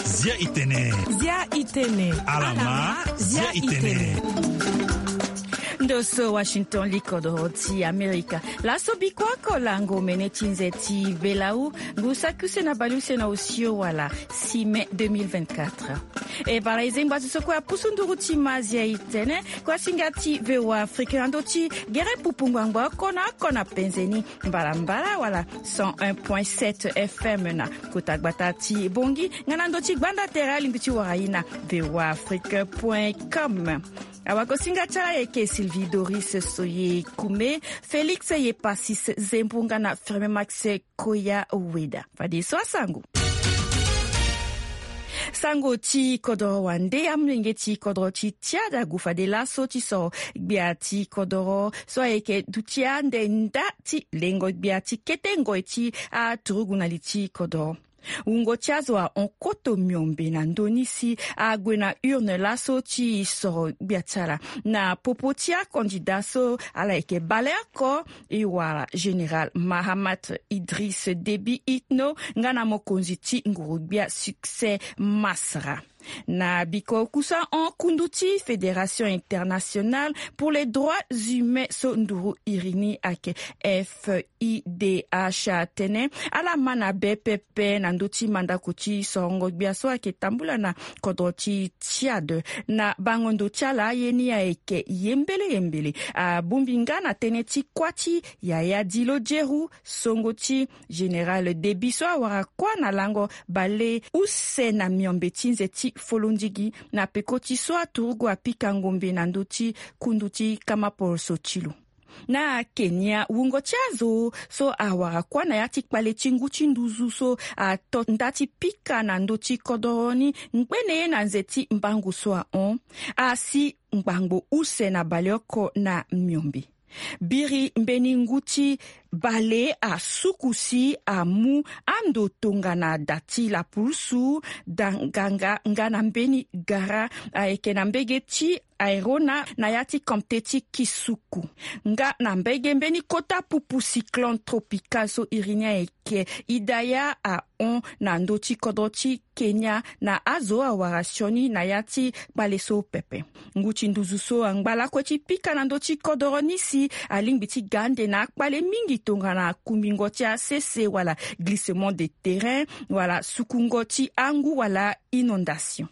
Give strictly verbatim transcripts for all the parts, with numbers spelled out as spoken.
Zia itene. Zia itene. Alama, zia itene. Ndo so Washington, li kodoro ti Amerika. Laso biko oko lango mene ti nze ti Belau, ngu saki use na bale use na osio wala six mai deux mille vingt-quatre. E bala e zengba ti so kue apusu nduru ti ma zia itene, kue asinga ti V O A Afrique na ndo ti gere pupu ngbangba oko na oko na penze ni, mbalambala wala cent un point sept F M na kota gbata ti Bongi, nga na ndo ti gbanda tere alingbi ti wara ye na V O A Afrique point com. Awakosinga ti ala ayeke Sylvie Doris Soye Kume, Félix Yepasis Zembu nga na Firme Max Koya Weda. Fadeso asango. Sango ti kodoro wande, amolenge ti kodoro ti Tchad ague fade laso ti soro gbia ti kodoro so ayeke duti ande nda ti lengo gbia ti kete ngoi ti aturugu na li ti kodoro. Wungo ti azo ahon koto miombe na ndö ni si ague na urne laso ti soro gbia ti ala na popo ti akandida so ala yeke baleoko, e wara Général Mahamat Idriss Déby Itno nga na mokonzi ti nguru-gbia Succès Masra. Na biko kusa ahon kundu ti Fédération Internationale pour les Droits Humains so nduru iri ni ayeke F I D H atene ala ma na be pepe na ndö ti mandako ti sorongo gbia so ayeke tambula na kodro ti Tchad. Na bango ndo ti ala aye ni ayeke ye mbele ye mbele. Abongbi nga na tënë ti kuâ ti Yaya Dilo Djeru, songo ti Général Déby so awara kuâ na lango baleuse na miombe ti nze ti folondigi na peko ti so aturugu apika ngombe na ndö ti kundu ti kamaporoso ti lo. Na Kenya, wungo ti azo so awara kuâ na ya ti kpale ti ngu ti nduzu so ato nda ti pika na ndö ti kodoro ni ngbene ye na nze ti mbango so ahon asi ngbangbo use na baleoko na miombe. Biri mbeni ngu ti bale asuku si amu ando tongana da ti lapulusu, danganga nga na mbeni gara ayeke na mbege ti Airona na ya ti komte ti Kisuku. Nga na mbege mbeni kota pupu cyclone tropical so iri ni ayeke Idaya ahon na ndö ti kodro ti Kenya na azo awara sioni na ya ti kpale so pepe. Ngu ti nduzu so angba lakue ti pika na ndö ti kodoro ni si alingbi ti ga ande na akpale mingi tongana kumbingo ti asese wala glissement de terrain wala sukungo ti angu wala inondation.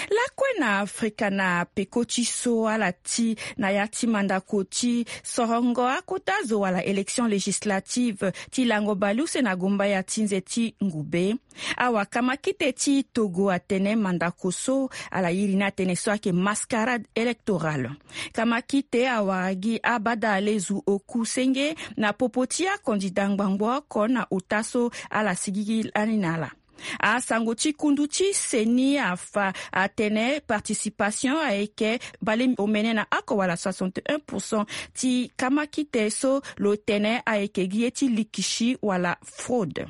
Lakue na Afrika na peko ti so ala ti na ya ti mandako ti sorongo akota zo wala élection législative ti lango baleuse na gombaya ti nze ti ngube. Awa kamakite ti Togo atene mandako so ala iri ni atene so ayeke mascarade électorale. Kamakite awara gi abada alezu oku senge na popo ti akandida ngbangbo oko na ota so ala sigigi lani na ala. Asango ti kundu ti seni afa atene participation ayeke bale omene na oko wala soixante et un pour cent ti kamakite so lo tene ayeke gi ye ti likisi wala fraude.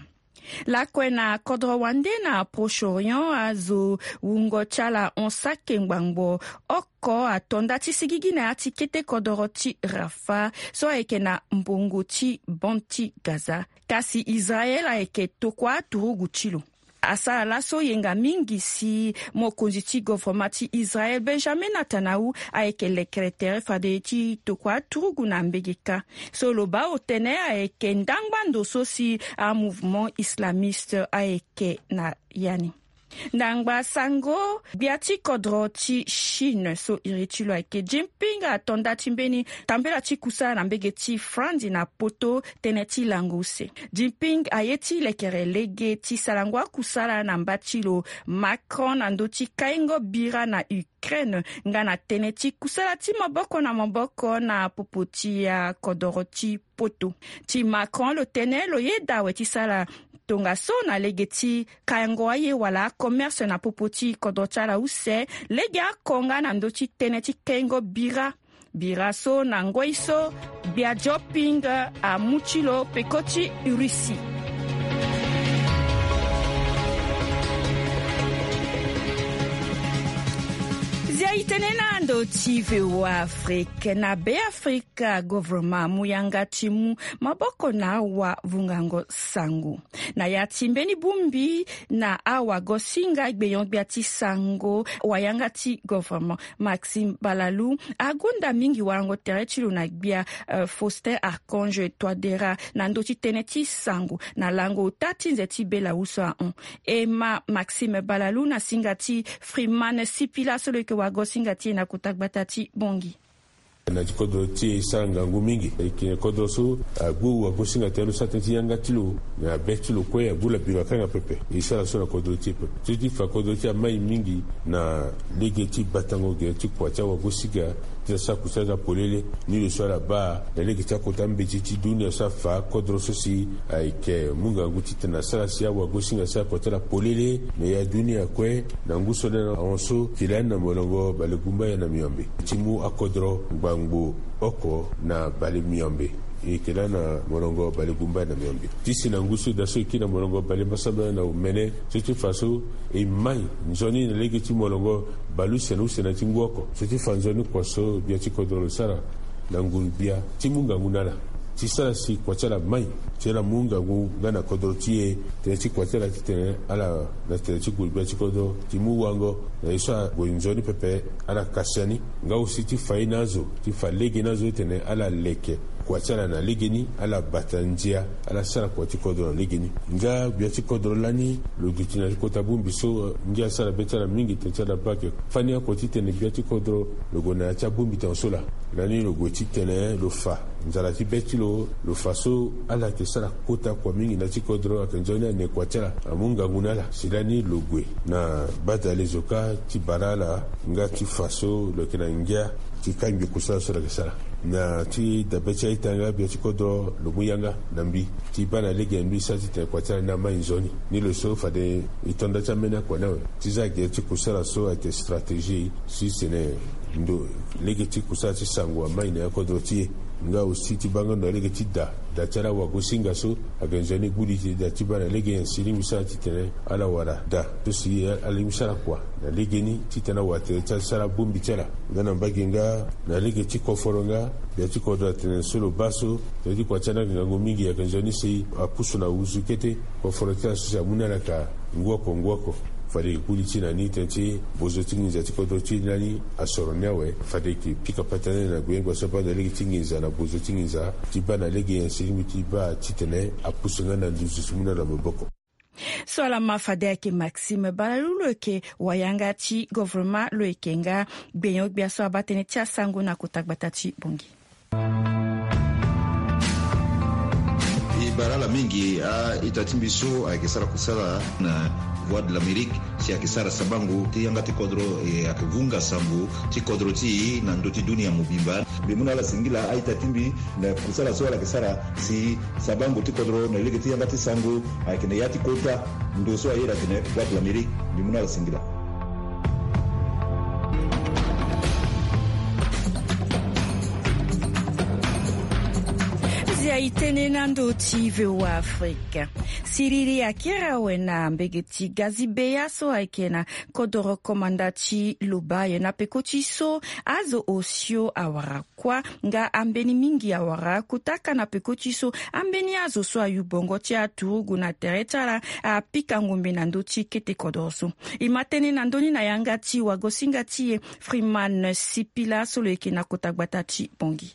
Lakue na kodro wande na Proche-Orient azo wungo ti ala hon sake ngbangbo oko ato nda ti sigigi na ya ti kete kodoro ti Rafah so ayeke na mbongo ti bande ti Gaza. Kasi Israel ayeke tokua aturugu ti lo. Asara laso yenga mingi si mokonzi ti govoroma ti Israel Benjamin Netanyahu ayeke lekere tere fade ti tokua aturugu na mbege kâ. So lo baa otene ayeke ndangba ndo so si amouvement islamiste ayeke na ya ni. Ndangba sango, gbia ti kodro ti Chine so iri ti lo ayeke Jinping ato nda ti mbeni tambela ti kusala na mbege ti Franzi na poto tënë ti lango use. Jinping aye ti lekere lege ti sarango akusala na mba ti lo Macron na ndö ti kaingo bira na Ukraine nga na tënë ti kusala ti maboko na maboko na popo ti akodoro ti poto. Ti Macron lo tene lo yeda awe ti sara tongaso na lege ti kayango aye wala commerce na popo ti kodro ti ala use, lege oko nga na ndö ti tënë ti kengo bira. Bira so na ngoi so gbia Jinping amu ti lo peko ti Russie. I tene na ndo ti V O A Afrique. Na Beafrika, governement amu yanga ti mu maboko na awavungango sango. Na ya ti mbeni bongbi na awagosinga gbenyo-gbia ti sango, wayanga ti governement Maxime Balalou agunda mingi warango tere ti lo na gbia, eh, Faustin Archange Touadéra na ndö ti tënë ti sango na lango ota ti nze ti Bela-Uso ahon. E ma Maxime Balalou na singa ti Freeman Sipila so lo yeke wagosinga ti e na kota gbata ti Bangui. Na ti kodro ti e e sara ngangu mingi. E yeke kodro so agbu wagosinga tënë lo sara tënë ti yanga ti lo na be ti lo kue, agbu labiro akanga pepe. E sara so na kodro ti e pepe. So ti fa kodro ti e amai mingi na lege ti batango gere ti kua ti awagosinga ti asara kusala ti apolele. Ni lo so ala baa na lege ti akota mbeti ti dunia so afa kodro so si ayeke mu ngangu titene asara si awagosinga asara kua ti ala polele na ya dunia kue. Na ngu so na ahon so, tene lani na molongo bale gumbaya na miombe ti mu akodro ngbangbo oko na bale miombe. E yeke lani na molongo bale gumbaya na miombe. Ti si na ngu so daa so e kiri na molongo bale mbasambala na omene, so ti fa so e mai nzoni na lege ti molongo bale use na use na ti ngu oko. So ti fa nzoni kua so gbia ti kodro lo sara na nguru-gbia ti mu ngangu na ala ti sara si kua ti ala mai, ti ala mu ngangu nga na kodro ti e, tënë ti kua ti ala titene ala na tene ti nguru-gbia ti kodro ti mu wango na ye so ague nzoni pepe, ala kasi ani. Nga aussi ti fa ye na azo, ti fa lege na azo titene ala leke kua ti ala na legeni, ala bata ndia, ala sara kua ti kodro na legeni. Nga gbia ti kodro lani lo duti na ti kota bongbi so, ngia asara be ti ala mingi tene ti ala baa ake fani oko titene gbia ti kodro lo gue na ya ti abongbi tene so laa. Lani lo gue titene lo fa nzara ti be ti lo, lo fa so ala yeke sara kota kua mingi na ti kodro, ayeke nzoni ane kua ti ala amu ngangu na ala. Si lani lo gue na badale zo kâ ti bara ala nga ti fa so lo yeke na ngia ti kangbi kusala so lo yeke sara. Na ti dabe ti a-ita nga gbia ti kodro lo mu yanga na mbi ti baa na lege na mbi sara titene kua ti ala ni amai nzoni. Ni lo so fade e to nda ti ambeni akua ni awe ti za gere ti kusala so ayeke stratégie si tene ndo lege ti kusala ti sango amai na ya kodro ti e. Nga aussi ti baa nga ndo na lege ti da, da ti ala wagosinga so ayeke nzoni gbu li ti da ti baa na lege nyen si lingbi sara titene ala wara da so si ala lingbi sara kua na legeni titene awara tere ti ala ti sara abongbi ti ala. Nga na mbage nga na lege ti koforo nga gbia ti kodro atene so lo baa so tere ti kua ti ala ni ayeke ngangu mingi, ayeke nzoni si apusu na wuzu kete. Koforo ti ala so si amu ni ala ka ngu oko ngu oko. Fade e gbu li ti na ni tënë ti bozo ti nginza ti kodro ti e ni lani asoro ni awe. Fade e yeke pika patane na gbenyo-gbia so abaa na lege ti nginza na bozo ti nginza ti baa na lege nyen si lingbi ti baa titene apusu nga na nduzu ti mu ni ala maboko. So ala ma fade ayeke Maxime Balalou lo yeke wayanga ti governement lo yeke nga gbenyo-gbia so abaa tënë ti asango na kota gbata ti Bangui. E bara ala mingi a-ita ti mbi so ayeke sara kusala na Voix de l'Amérique si ayeke sara sabango ti yanga ti kodro, e ayeke vunga sango ti kodro ti e na ndö ti dunia mobimba. Mbi mu na ala singila a-ita ti mbi na kusala so ala yeke sara si sabango ti kodro na lege ti yanga ti sango ayeke na ya ti kota ndo so aye atene Voix de l'Amérique. Mbi mu na ala singila. Zia e tene na ndö ti V O A Afrique. Siriri akiri awe na mbege ti Gazi Beya so ayeke na kodoro komanda ti Lobaye na peko ti so azo osio awara kuâ nga ambeni mingi awara kota ka na peko ti so ambeni azo so ayu bongo ti aturugu na tere ti ala apika ngombe na ndö ti kete kodoro so. E ma tënë na ndö ni na yanga ti wagosinga ti e Freeman Sipila so lo yeke na kota gbata ti Bangui.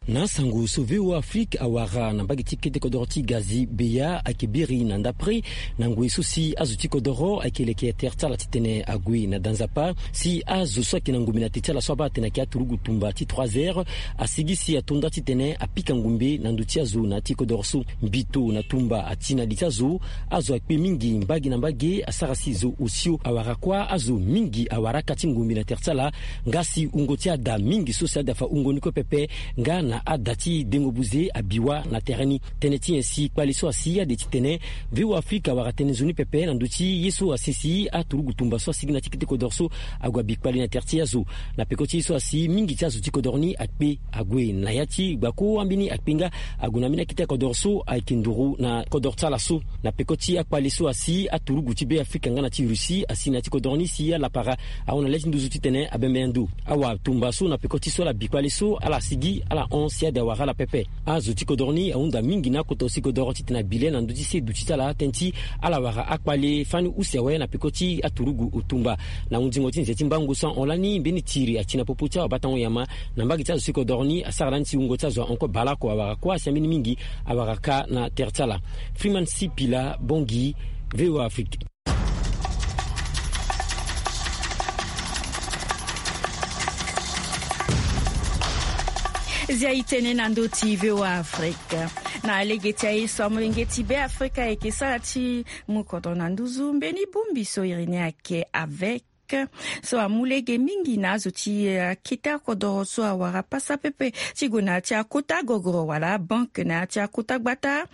Na asango so V O A Afrique awara na mbage ti kete kodoro ti Gazi Beya ayeke biri na ndapre na ngoi so si azo ti kodoro ayeke leke tere ti ala titene ague na da nzapa si azo so ayeke na ngombe na te ti ala so abaa atene ayeke aturugu tumba ti trois heures asigi si ato nda titene apika ngombe na ndö ti azo na ya ti kodoro so. Mbito na tumba ati na li ti azo. Azo akpe mingi mbage na mbage asara si zo osio awara kuâ azo mingi awara aka ti ngombe na tere ti ala nga si wungo ti ada mingi so si ada fa wungo ni kue pepe nga na Ada ti dengo buze abi wâ na tere ni. Tënë ti nyen si kpale so asi ade titene V O A Afrika awara tënë nzoni pepe na ndö ti ye so asi si aturugu tumba so asigi na ti kete kodoro so ague abi kpale na tere ti azo. Na peko ti ye so asi mingi ti azo ti kodoro ni akpe ague na ya ti gbako ambeni akpe nga ague na ambeni akete kodoro so ayeke nduru na kodoro ti ala so. Na peko ti akpale so asi aturugu ti Be Afrika nga na ti Russie asi na ti kodoro ni si alapara ahon na le ti nduzu titene abembe ndo. Awa tumba so na peko ti so ala bi kpale so ala sigi ala hon si ade awara ala pepe. Azo ti kodoro ni ahunda mingi na akota osi kodoro titene abi le na ndö ti se duti ti ala tënë ti ala wara akpale fani use awe na peko ti aturugu tumba. Na hunzingo ti nze ti mbangu so ahon lani mbeni tiri ati na popo ti awabatango nyama na mbage ti azo si kodoro ni asara lani si wungo ti azo ahon kue baleoko awara kue asi ambeni mingi awara kâ na tere ti ala. Freeman Sipila Bongi, V O A Afrique. Zia e tene na ndö ti V O A Afrique. Na lege ti aye so amolenge ti Be Afrika ayeke sara ti mu kodro na nduzu mbeni bongbi so iri ni ayeke avec so amu lege mingi na azo ti akete akodoro so awara pasa pepe ti gue na ya ti akota gogoro wala banke na ya ti akota gbata.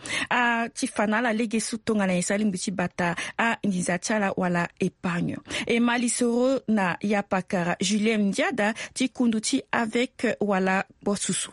Ti fa na ala lege so tongana nyen si alingbi ti bata anginza ti ala wala épargne. E ma lisoro na yapakara Julien Ndiada ti kundu ti avec wala kpo susu.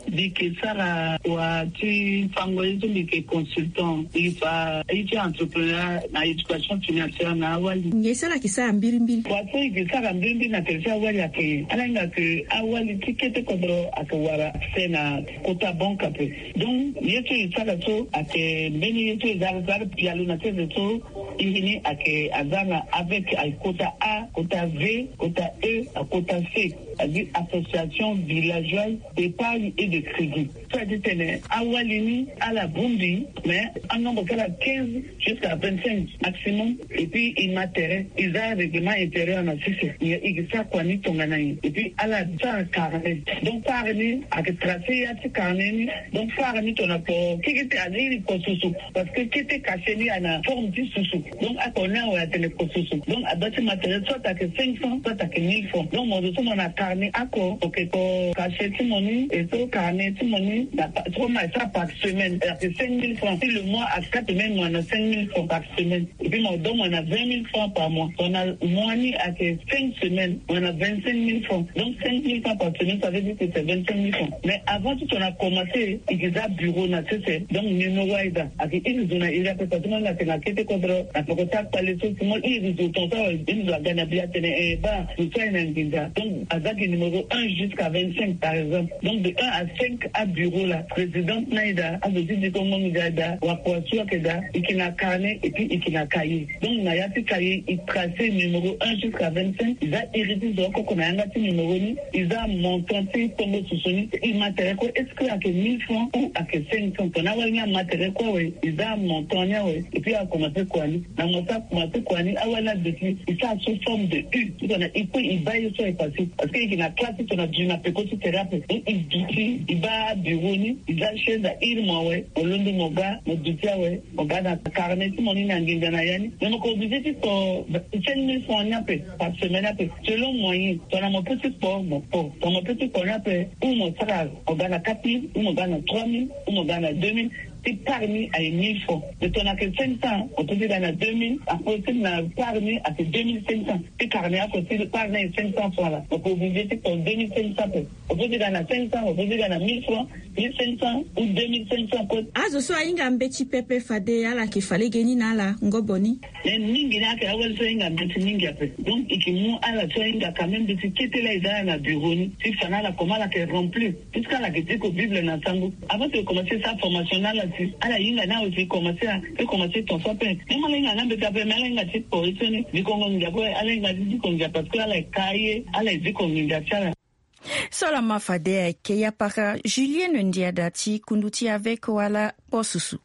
Mbi yeke sara wa ti fango ye so mbi yeke consultant, mbi fa ye ti entrepreneur na éducation financière na awali. Nyen so ala yeke sara mbirimbiri? Wa so e yeke sara mbirimbiri na tere ti awali ayeke ala hinga ke awali ti kete kodro ayeke wara accès na kota banke ape. Donc ye so e sara so ayeke mbeni ye so e za za pialo na sese so. Iri ni ayeke aza na avec ayeke kota A, kota V, kota E, akota C. Aziri Association Villageoise d'Épargne et de Crédit. So a ti tene awali ni ala bongbi, mais anombre ti ala quinze jusqu'à vingt-cinq maximum. Et puis e ma tere, e za règlement intérieur na sese. E yeke sara kua ni tongana nyen? Et puis ala sara carnet. Donc fara ni ayeke tracer ya ti carnet ni. Donc fara ni tongana kpo kekete aziri kpo susu. Parce que kete cachet ni ayeke na forme ti susu. Donc ako ni awe atene kpo susu. Donc adoit ti ma tere soit ayeke cinq cents soit ayeke mille francs. Donc mo zo so mo na carnet ako, ok, kpo cachet ti mo ni, e so carnet ti mo ni na pa-, so mo na sara par semaine, ayeke cinq mille francs. Si le mois ayeke quatre semaines, mo na cinq mille francs par semaine. Et puis mo donne mo na vingt mille francs par mois. Mo na mois ni ayeke cinq semaines, mo na vingt-cinq mille francs. Donc cinq mille francs par semaine, ça veut dire que c'est vingt-cinq mille francs. Mais avant ti tongana commencer, e yeke za bureau na sese. Donc numéro ayeke za. Ayeke iri zo na iri ape, parce que mo na tene na kete kodro na peko ti akpale so, si mo iri zo tongaso awe, iri zo aga na bi atene, eh, baa, zo so aye na nginza. Donc aza gi numéro un jusqu'à vingt-cinq, par exemple. Donc de un à cinq abureau la, présidente ni ayeke daa, azo ti dikongo nginza ayeke daa, wakua so ayeke daa, e yeke na carnet et puis e yeke na cahier. Donc na ya ti cahier e tracer numéro un jusqu'à vingt-cinq, e za iri ti zo oko oko na yanga ti numéro ni, e za montant ti tongo susu ni, e ma tere kue, est-ce que ayeke mille francs ou ayeke cinq cents? Tongana awali ni ama tere kue awe, e za montant ni awe, et puis a commencer kua ni. Na mo so a commencer kua ni, awali ni aduti, e sara sous forme de U. Tongana e kue e baa ye so e passé. Parce que e yeke na classe ti tongana duti na peko ti tere ape. Donc e duti, e baa bureau ni, e za chaise airi mo awe, mo londo mo ga, mo duti awe, mo ga na carnet ti mo ni na nginza na ya ni. Mais mo yeke obligé ti kpo cinq mille francs ni ape par semaine ape, selon moyen. Tongana mo peut ti kpo, mo kpo. Tongana mo peut ti kpo ni ape, ou mo sara, mo ga na quatre mille, ou mo ga na trois mille, ou mo ga na deux mille. Ti part ni aye mille francs. Mais tongana ayeke cinq cents, mo peut ti ga na deux mille. Apo ti na part ni ayeke deux mille cinq cents. Ti carnet oko ti part ni aye cinq cents francs la, mo yeke obligé ti kpo deux mille cinq cents ape. Mo peut ti ga na cinq cents, mo peut ti ga na mille francs, mille cinq cents ou deux mille cinq cents kue. Azo so ahinga mbeti pepe fade ala yeke fa lege ni na ala ngobo ni. Mais mingi ni ayeke awali so ahinga mbeti mingi ape. Donc e yeke mu ala so ahinga quand même mbeti kete la e za ala na bureau ni ti fa na ala comment ala yeke remplir. Puisque ala yeke diko Bible na sango. Avant ti e commencer sa formation na ala si ala hinga ni awe si e commencer a, e commencer tongaso ape. Même ala hinga nga mbeti ape, mais ala hinga ti kpo ye so ni dikongo nginza kue, ala hinga ti diko nginza parce que ala yeke ka ye, ala yeke diko nginza ti ala. So lama fade ayeke yapara Julienne Ndiada ti kundu ti avec wala kpo susu.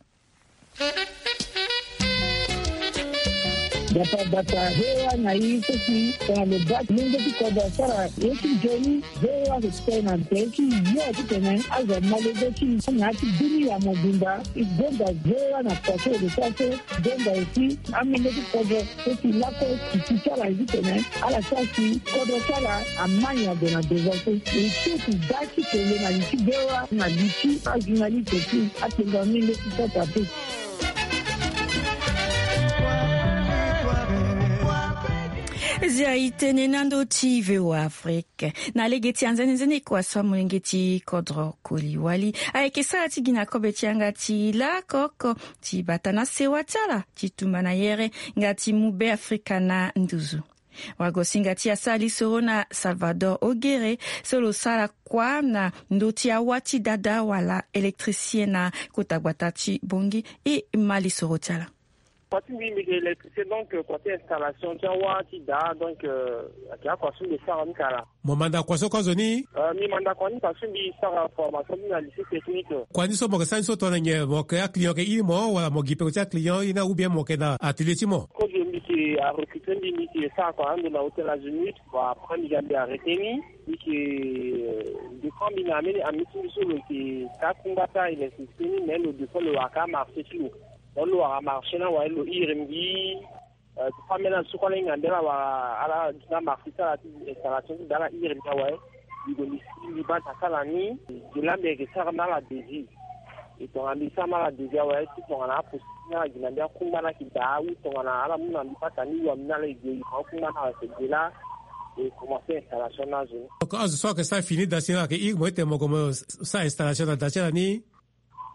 Bata bata, V O A na i so si tongana lo baa ti lenge ti kodro asara ye ti nzoni, V O A ayeke kpe na be ti yo titene azo amolenge ti na ya ti bini ya mobimba. E gonda V O A na kua so e lo sara so, gonda aussi amolenge ti kodro so si lakue ti ti ti ala titene ala sara si kodro ti ala amani ague na devant so. E ti ti daa ti kele na li ti V O A na li ti ajournaliste ti atenga mingi ti sota pe. Zia e tene na ndö ti V O A Afrique. Na lege ti anzene nzene kua so amolenge ti kodro Koli Wali ayeke sara ti gi na kobe ti yanga ti lako oko ti bata na sewa ti ala ti tumba na yere nga ti mu Be Afrika na nduzu. Wagosinga ti asara lisoro na Salvador Ogere so lo sara kua na ndö ti awa ti dada wala électricien na kota gbata ti Bangui, e ma lisoro ti ala. Kua ti mbi mbi yeke électricien, donc, euh, kua ti installation ti awa ti daa, donc, euh, ayeke akua so mbi sara ni kala. Mo manda kua so kue azo ni? Euh, mbi manda kua ni parce que mbi sara formation ti mbi na lycée technique. Kua ni so mo yeke sara ni so tongana nyen? Mo yeke aclient yeke iri mo wala mo gi peko ti aclient, ye ni ou bien mo yeke na atelier ti mo? Kozo mbi yeke arecruter mbi, mbi yeke sara kua na ndo na Hôtel Azimut. Bon, après mbi ga mbi arrêter ni. Mbi yeke, euh, défend mbi na ambeni ami ti mbi so lo yeke ka kungba ti a électricité ni, mais lo défend lo wara ka marché ti lo. Donc lo wara marché ni awe lo iri mbi, euh, ti fa ambeni azo so kue ala hinga mbi ala wara ala gi na marché ti ala ti installation ti daa ala iri mbi awe. Mbi gue mbi si mbi baa ta ti ala ni. Gi laa mbi yeke sara na ala devis. E tongana mbi sara na ala devis awe ti tongana aposi ni ala gi na mbi akungba ni ayeke daa ou tongana ala mu na mbi pata ni wambi ni ala e gue e fa akungba ni ala yeke gue laa e commencer installation ni azo ni. Donc azo so ayeke sara fini daa si ni ala yeke iri mo ete mo gue mo sara installation na daa ti ala ni?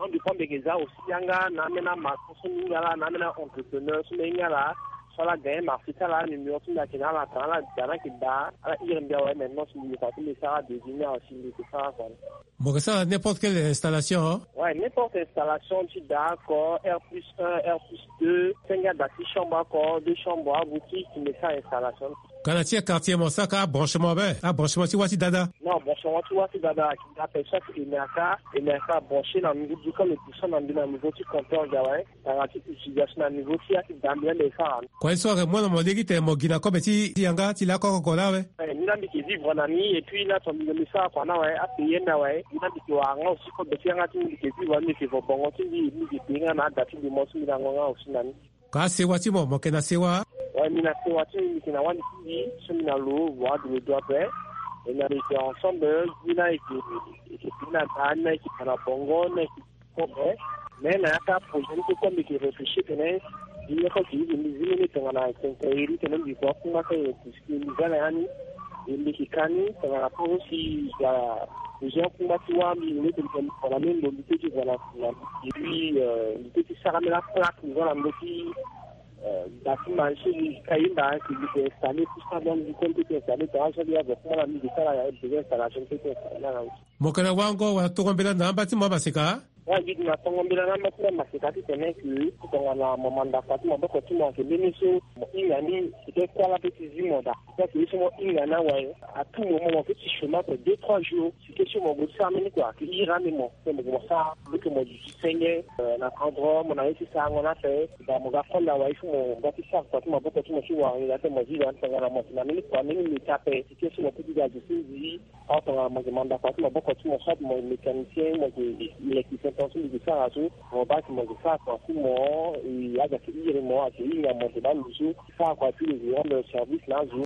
Non, mbi fa mbi yeke za aussi yanga na ambeni amaçon so mbi hinga ala na ambeni a-entrepreneur so mbi hinga ala so ala gagner marché ti ala, numéro ti mbi ayeke na ala, tongana ala daa ni ayeke daa ala iri mbi awe. Maintenant si mbi yeke fa ti mbi sara devis ni awe si mbi yeke sara kua ni. Mo yeke sara n'importe quelle installation? Ouais, n'importe installation ti daa oko, R plus un, R plus deux, senge ada ti chambre oko, deux chambres, aboutique, mbi sara installation. Ka na ti quartier mo sara ka abranchement be, abranchement ti wa ti dada? Non, branchement ti wa ti dada ayeke nga ape, chaque E M R K, E M R K branché na niveau du, quand le puissant na mbi na niveau ti compteur ga awe. Tongana ti utilisation na niveau ti ya ti daa mbi la mbi sara. Kua ye so ayeke mu na mo lege tene mo gi na kobe ti yanga ti lakoko laa awe? Eh, mbi la mbi yeke vivre na ni, et puis la tongana mbi sara kua ni awe, apayer mbi awe. Mbi la mbi yeke wara nga aussi kobe ti yanga ti mbi, mbi yeke vivre ni, mbi yeke vo bongo ti mbi, mbi yeke payer nga na ada ti mbi mo so mbi lango nga aussi na ni. Ka asewa ti mo, mo yeke na sewa? Ouais, mbi na sewa ti mbi, mbi yeke na wali ti mbi so mbi na lo, wa adu lo dua ape. E na mbi yeke ensemble, ni la yeke, yeke payer na daa, ni la yeke fa na bongo, ni la yeke Bon, eh, mais na ya ti aprojet ni so kue mbi yeke réfléchir tene mbi yeke zi mene tongana quincaillerie tene mbi gue akungba ti aye, puisque mbi za na ya ni. E mbi yeke ka ni tongana kozo si ga besoin akungba ti wâ mbi, mbi yeke zi tongana mbi gue na mbi ti zi tongana na mbi ti, euh, mbi ti sara mbi la plaque, mbi za na mbi ti, euh, bâtiment so mbi ka yenda si mbi yeke installer tout ça, donc mbi kue mbi ti installer tongana so mbi ya gue akungba na mbi mbi yeke sara ya besoin installation mbi ti installer na. Mo yeke na wango wala tongo mbela na amba ti mo amaseka? Wa gi na tongo mbela na amba ti mo amaseka titene ke tongana mo manda kua ti maboko ti mo ayeke mbeni so mo hinga ni, seke kuâ la pe ti zi mo daa. Seke ye so mo hinga ni awe, à tout moment mo pe ti chômer ape deux trois jours. Seke so mo gue ti sara mbeni kua ayeke iri ande mo. Pe mo gue mo sara lo ke mo duti senge, euh, na cadre mo na ye ti sarango ni ape. Daa mo ga kole awe, il faut mo ga ti sara kua ti maboko ti mo ti wara ngia ti mo zi daa tongana mo yeke na mbeni kua mbeni meti ape. Seke so mo pe ti ga zo ti zi. Awa tongana mo yeke manda kua ti maboko ti mo, soit mo yeke mécanicien, mo yeke électricien, tongaso mbi yeke sara so, mo baa si mo yeke sara kua ti mo, e, azo ayeke iri mo, ayeke hinga mo, mo yeke baa lo so, sara kua ti lo yeke rendre service na azo.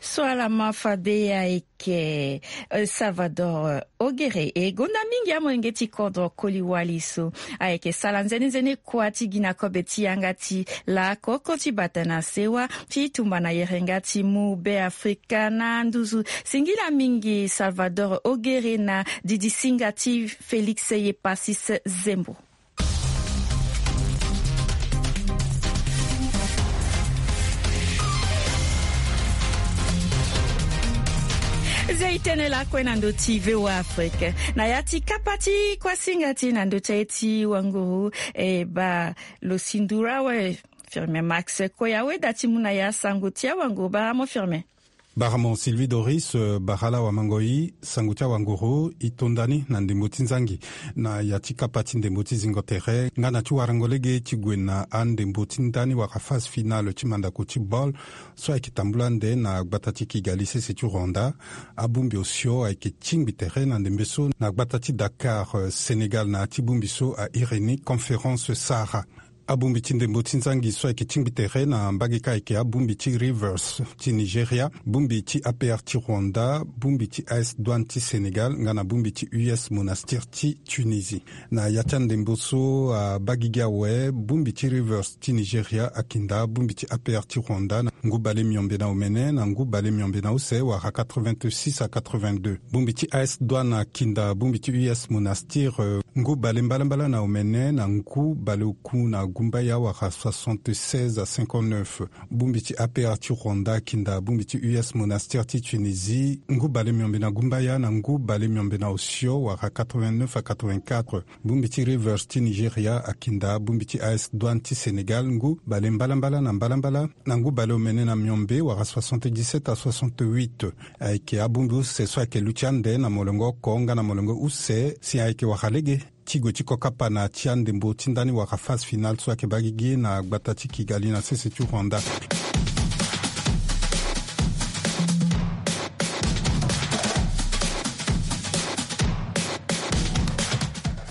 So ala ma fade ayeke, eh, Salvador, eh, Ogere, e gonda mingi amolenge ti kodro koli wali so ayeke sala nzene nzene kua ti gi na kobe ti yanga ti lakoko ti bata na sewa ti tumba na yerenga ti mu Be Afrika na nduzu. Singila mingi Salvador Ogere na didisinga ti Félix Yepasis Zembo. Zia e tene lakue na ndö ti V O A Afrique. Na ya ti kapa ti kuasinga ti e na ndö ti aye ti wanguru, e baa lo sindura awe, Firmin Max Koya, weda ti mu na ya sango ti awanguru. Baa mo Firmin. Baramo Sylvie Doris, bara ala wamangoi sango ti awanguru i tonda ni na ndembo ti nzangi na ya ti kapa ti ndembo ti zingo tere nga na ti warango lege ti gue na andembo ti ndani wala phase finale ti mandako ti bol so ayeke tambula ande na gbata ti Kigali sese ti Rwanda. Abongbi osio ayeke tingbi tere na ndembe so na gbata ti Dakar, Sénégal, na ya ti bongbi so a iri ni Conférence Sahara. Abongbi ti ndembo ti nzangi so ayeke tingbi tere na mbage ka ayeke abongbi ti Rivers ti Nigeria, bongbi ti A P R ti Rwanda, bongbi ti A S Douane ti Sénégal nga na bongbi ti U S Monastir ti Tunisie. Na ya ti andembo so abagigi awe, bongbi ti Rivers ti Nigeria akinda bongbi ti A P R ti Rwanda na ngu bale miombe na omene na ngu bale miombe na use wala quatre-vingt-six à quatre-vingt-deux. Bongbi ti A S Douane akinda bongbi ti U S Monastir, eh, ngu bale mbalambala na omene na ngu bale oku na gumbaya wala soixante-seize à cinquante-neuf. Bongbi ti A P R ti Rwanda akinda bongbi ti U S Monastir ti Tunisie ngu bale miombe na gumbaya na ngu bale miombe na osio wala quatre-vingt-neuf à quatre-vingt-quatre. Bongbi ti Rivers ti Nigeria akinda bongbi ti A S Douane ti Sénégal ngu bale mbalambala na mbalambala na ngu bale omene na miombe wala soixante-dix-sept à soixante-huit. Ayeke abongbi use so ayeke luti ande na molongo oko nga na molongo use si ayeke wara lege ti gue ti kokapa na ya ti andembo ti ndani wala phase finale so ayeke bagigi na gbata ti Kigali na sese ti Rwanda.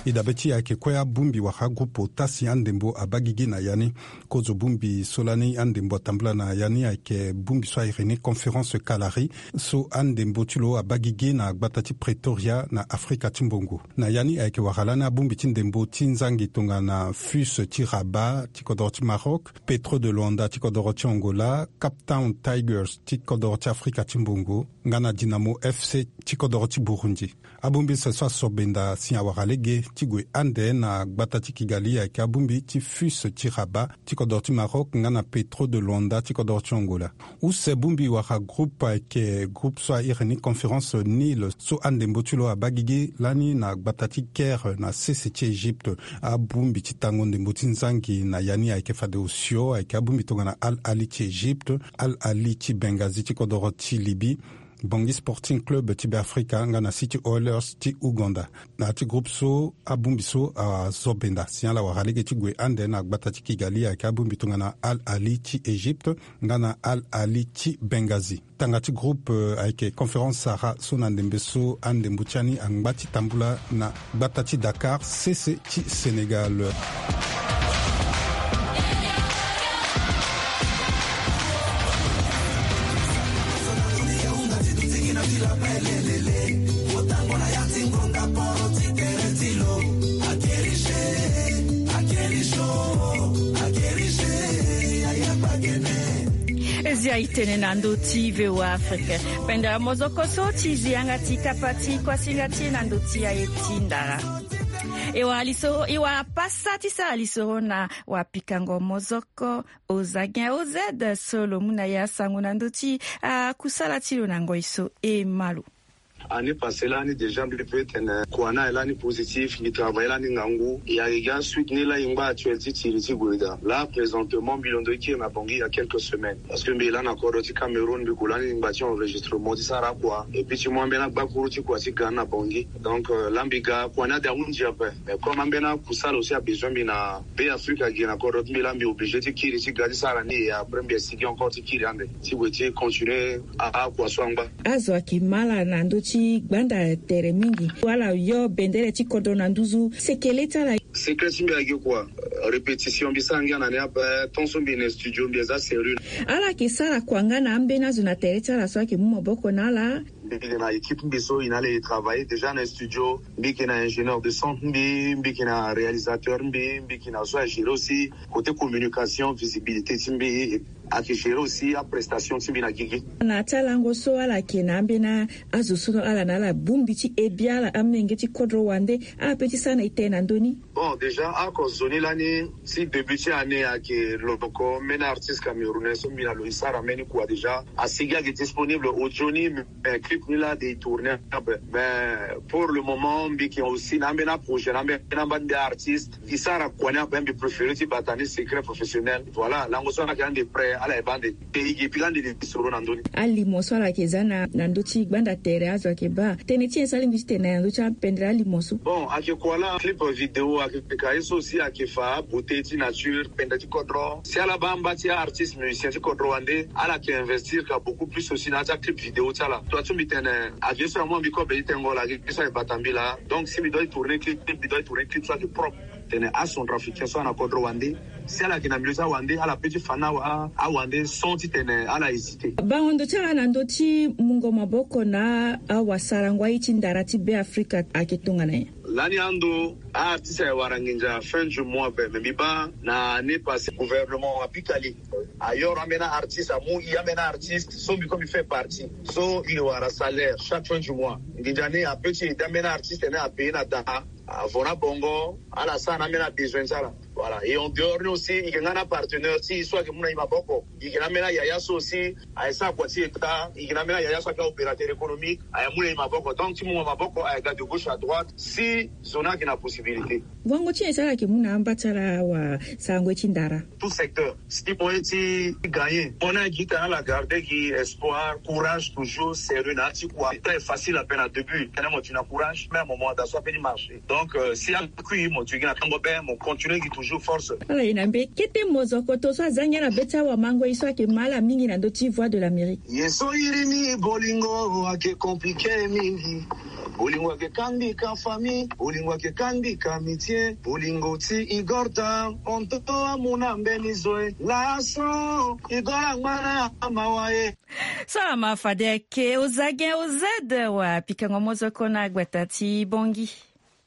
E dabe ti e ayeke kue abongbi wala agrupe ota si andembo abagigi na ya ni. Kozo bongbi so lani andembo atambula na ya ni ayeke bongbi so a iri ni Conférence Kalari so andembo ti lo abagigi na gbata ti Pretoria na Afrika ti Mbongo. Na ya ni ayeke wara lani abongbi ti ndembo ti nzangi tongana FUS ti Rabat ti kodoro ti Maroc, Petro de Luanda ti kodoro ti Angola, Cape Town Tigers ti kodoro ti Afrika ti Mbongo nga na Dinamo F C ti kodoro ti Burundi. Abongbi use so aso benda si awara lege ti gue ande na gbata ti Kigali ayeke abongbi ti FUS ti Rabat ti kodoro ti Maroc nga na Petro de Luanda ti kodoro ti Angola. Use bongbi wala groupe ayeke groupe so a iri ni Conférence Nil so andembo ti lo abagigi lani na gbata ti Caire na sese ti Egypte. Abongbi ti tango ndembo ti nzangi na ya ni ayeke fade osio ayeke abongbi tongana Al Ahly ti Egypte, Al Ahly ti Benghazi ti kodoro ti Libye, Bangui Sporting Club ti Beafrika nga na City Oilers ti Ouganda. Na ya ti groupe so abongbi so azo benda si ala wara lege ti gue ande na gbata ti Kigali ayeke abongbi tongana Al Ahly ti Egypte nga na Al Ahly ti Benghazi. Tanga ti groupe, eh, ayeke Conférence Sahara so na ndembe so andembo ti ani angba ti tambula na gbata ti Dakar sese ti Sénégal. E zia e tene na ndö ti V O A Afrique. Pendere mozoko so ti zi yanga ti kapa ti kuasinga ti e na ndö ti aye ti ndara. E wara lisoro, e wara pasa ti sara lisoro na wapikango mozoko Ozagen O Z so lo mu na e asango na ndö ti akusala ti lo na ngoi so e ma lo. Année passée lani déjà mbi peut tene kua ni aye lani positif, mbi travailler lani ngangu. E ayeke gi asuite ni lani e ngba actuel ti tiri ti gue daa. Là présentement mbi londo ti kiri na Bangui il y a quelques semaines. Parce que mbi lani na kodro ti Cameroun, mbi gue lani ngba ti enregistrement ti sara kua. Et puis ti mu ambeni agbakuru ti kua ti ga ni na Bangui. Donc, euh, là mbi ga kua ni ade ahunzi ape. Mais comme ambeni akusala aussi abesoin mbi na Be Afrika gi na kodro ti mbi, là mbi obligé ti kiri ti ga ti sara ni, et après mbi exige encore ti kiri ande ti gue ti continuer a, akua so angba. Azo ayeke ma ala na ndö ti gbanda tere mingi. Ala yo bendere ti kodro na nduzu. Sekele ti ala. Secret ti mbi ayeke kua, répétition mbi sara ngia na ni ape, tant so mbi na studio mbi aza sérieux. Ala yeke sara kua nga na ambeni azo na tere ti ala so ayeke mu maboko na ala. Mbi yeke na équipe mbi so e na ala e travailler déjà na studio. Mbi yeke na ingénieur de son ti mbi, mbi yeke na réalisateur ti mbi, mbi yeke na zo a gérer aussi côté communication, visibilité ti mbi, ayeke gérer aussi aprestation ti mbi na gigi. Na ya ti alango so ala yeke na ambeni azo so ala na ala bongbi ti ebi ala amenge ti kodro wande, ala pe ti sara na e tene na ndö ni. Bon, déjà ako zo ni lani, si début ti année ayeke lo ko mbeni artiste camerounais so mbi na lo e sara mbeni kua déjà, asi gi ayeke disponible auzoni. Mais clip ni laa de e tourner ape. Mais pour le moment mbi yeke aussi na ambeni aprojet na ambeni amba nde artiste e sara kua ni ape. Mbi préféré ti bata ni secret professionnel. Voilà, lango so ala yeke ande prêt, ala yeke baa ande. Te e yeke pika ande de soro na ndö ni. Alimo so ala yeke za na ndö ti gbanda tere azo ayeke baa tënë ti nyen so alingbi ti tene na ndö ti apendere alimo so? Bon, ayeke kua laa clip vidéo ayeke ka ye so si ayeke fa abeauté ti nature, pendere ti kodro. Si ala baa amba ti aartiste musicien ti kodro wande, ala yeke investir ka beaucoup plus aussi na ya ti aclip vidéo ti ala. Tua ti mbi tene, ayeke ye so na mu na mbi kobe ti tengo laa, ayeke ye so ayeke bata mbi laa. Donc si mbi doit tourner clip, mbi doit tourner clip so ayeke propre. Tene acentrafricain so ana kodro wande, si ala yeke na milieu ti awande, ala pe ti fa na awande sans ti tene ala hésiter. Bango ndo ti ala na ndö ti mungo maboko na awasarango aye ti ndara ti Beafrika ayeke tongana nyen? Lani ando, aartiste ayeke wara nginza fin du mois ape. Mais mbi baa na année passée gouvernement apika li. Ayoro ambeni aartiste, amu i ambeni aartiste so mbi ko mbi fait partie. So i wara salaire chaque fin du mois. Nginza ni ape ti aide ambeni aartiste ni apayer na daa. Avant na bongo, ala sara na ambeni abesoin ti ala. Voilà. Et en dehors ni aussi, i yeke nga na apartenaire ti i so ayeke mu na i maboko. I yeke na ambeni ayaya so aussi ayeke sara kua ti état. I yeke na ambeni ayaya so ayeke aopérateur économique, ayeke mu na i maboko. Donc ti mu na maboko ayeke ga de gauche à droite si zo ni ayeke na possibilité. Wango ti nyen so ala yeke mu na amba ti ala awasarango ye ti ndara? Tout secteur. Si moyen ti gagner, mo ni agi tene ala garder gi espoir, courage, toujours sérieux na ya ti kua. Très facile ape na début, tene mo tene na courage, mais à un moment da so ape ti marcher. Donc si akui mo tene gi na tango be, mo continuer gi toujours force. Ala ye na mbe kete mozoko to so aza ngia na be ti awamangoi so ayeke ma ala mingi na ndö ti Voix de l'Amérique. Ye so iri ni bolingo ayeke compliqué mingi. Bolingo ayeke kangbi ka famille, bolingo ayeke kangbi ka amitié. Bolingo ti Igor ta, on to amu na mbeni zo e. Laso Igor angba na mawa e. Salama fade ayeke Ozagen Ozed wa pikango mozoko na gbata ti Bongi.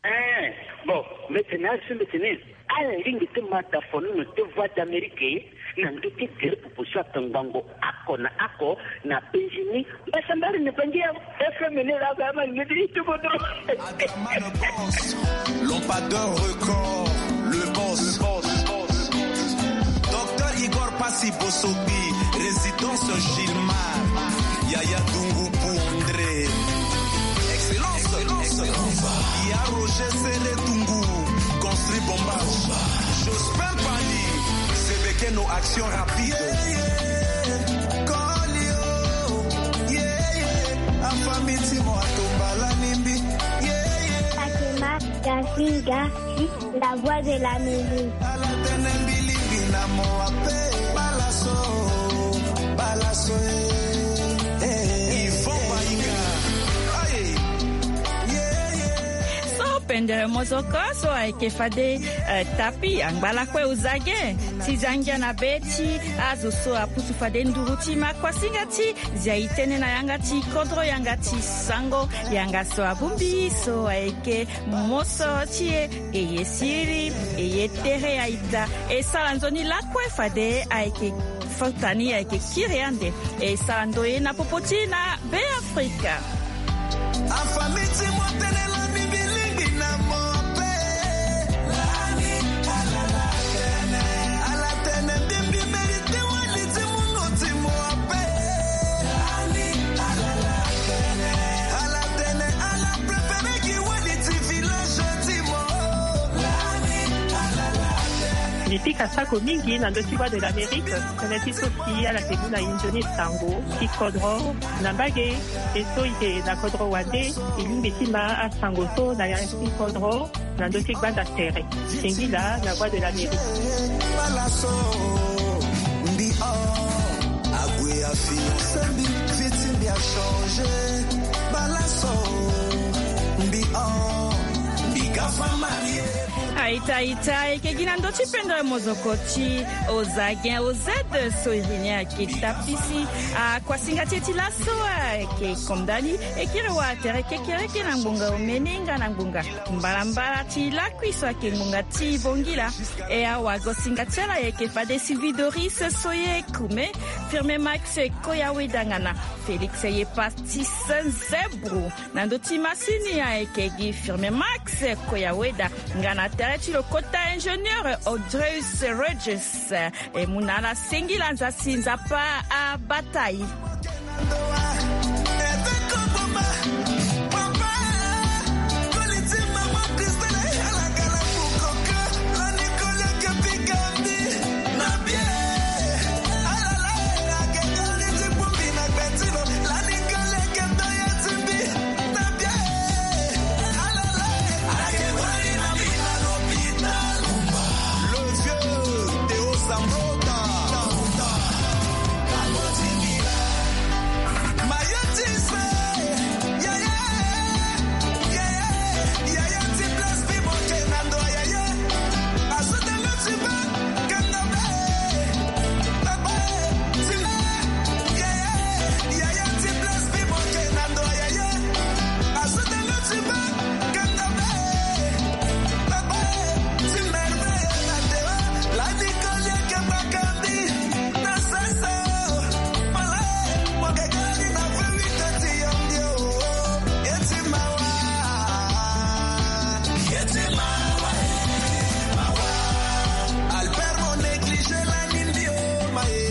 Eh, bon, mbetene asu mbetene. Ala lingbi ti ma dafonono ti Voix d'Amérique na ndö ti gere popo so atongbango ako na ako na penzi ni. Mbasambari ni bangi ya F M ni la ga ma ni di ti bodo. Adama le boss, lampadaire record, le boss. Docteur Igor Passy Bossokbi, résidence Gilmar, Yaya Dungu pour André. Excellence, excellence. Il y a Roger Serré Dungu, construit Bomba. Jospin Pali, c'est que nos actions rapides. Yeah, yeah. Call you. Yeah, yeah. Afamiti mo atombala nimbi. Yeah, yeah. Fatima Gasinga. La Voix de l'Amérique. Ala tene mbi lingbi na mo ape. Balaso, balaso, eh, eh. Yvon Bainga. Aye. Yeah, yeah. So pendere mozoko so ayeke fade, eh, tapi angba lakue Ozagen ti za ngia na be ti azo so apusu fade nduru ti ma kuasinga ti zia e tënë na yanga ti kodro, yanga ti sango, yanga so abongbi so ayeke moso ti e. E ye siriri, e ye tere aita. E sara nzoni lakue fade ayeke fota ni ayeke kiri ande. E sara ndoye na popo ti e na Beafrika. Afamiti mo tene lani mbi lingbi na mo ape. Lani ala tene, ala tene mbi mbi mérité wali ti mungo ti mo ape. Lani ala tene, ala préféré gi wali ti village ti mo. Lani ala tene. Mbi pika sako mingi na ndö ti Voix de l'Amérique. Tënë ti so si ala yeke mu na e nzoni sango ti kodro na mbage. E so e yeke na kodro wande, e lingbi ti ma asango so na ya ti kodro na ndö ti gbanda tere. Singila na Voix de l'Amérique. Balaso, mbi o, ague afiancé mbi, vie ti mbi achangé. Balaso, mbi o, mbi ga fa marié. Aita, aita, e yeke gi na ndö ti pendere mozoko ti Ozagen Ozed so iri ni ayeke tapisi akuasinga ti e ti laso ayeke kondani. E kiri wa tere kekereke na ngbonga omene nga na ngbonga mbalambala ti lakui so ayeke ngbonga ti Bongila. E awagosinga ti ala ayeke fade Sylvie Doris Soye Kume, Firme Max Koya Wedangana. Félix Yepastis Nzebru. Na ndö ti masini ayeke gi Firme Max Koyaweda, nga na tere ti lo kota ingénieur Audreus Regis. E mu na ala singila, nzasi Nzapa abata e.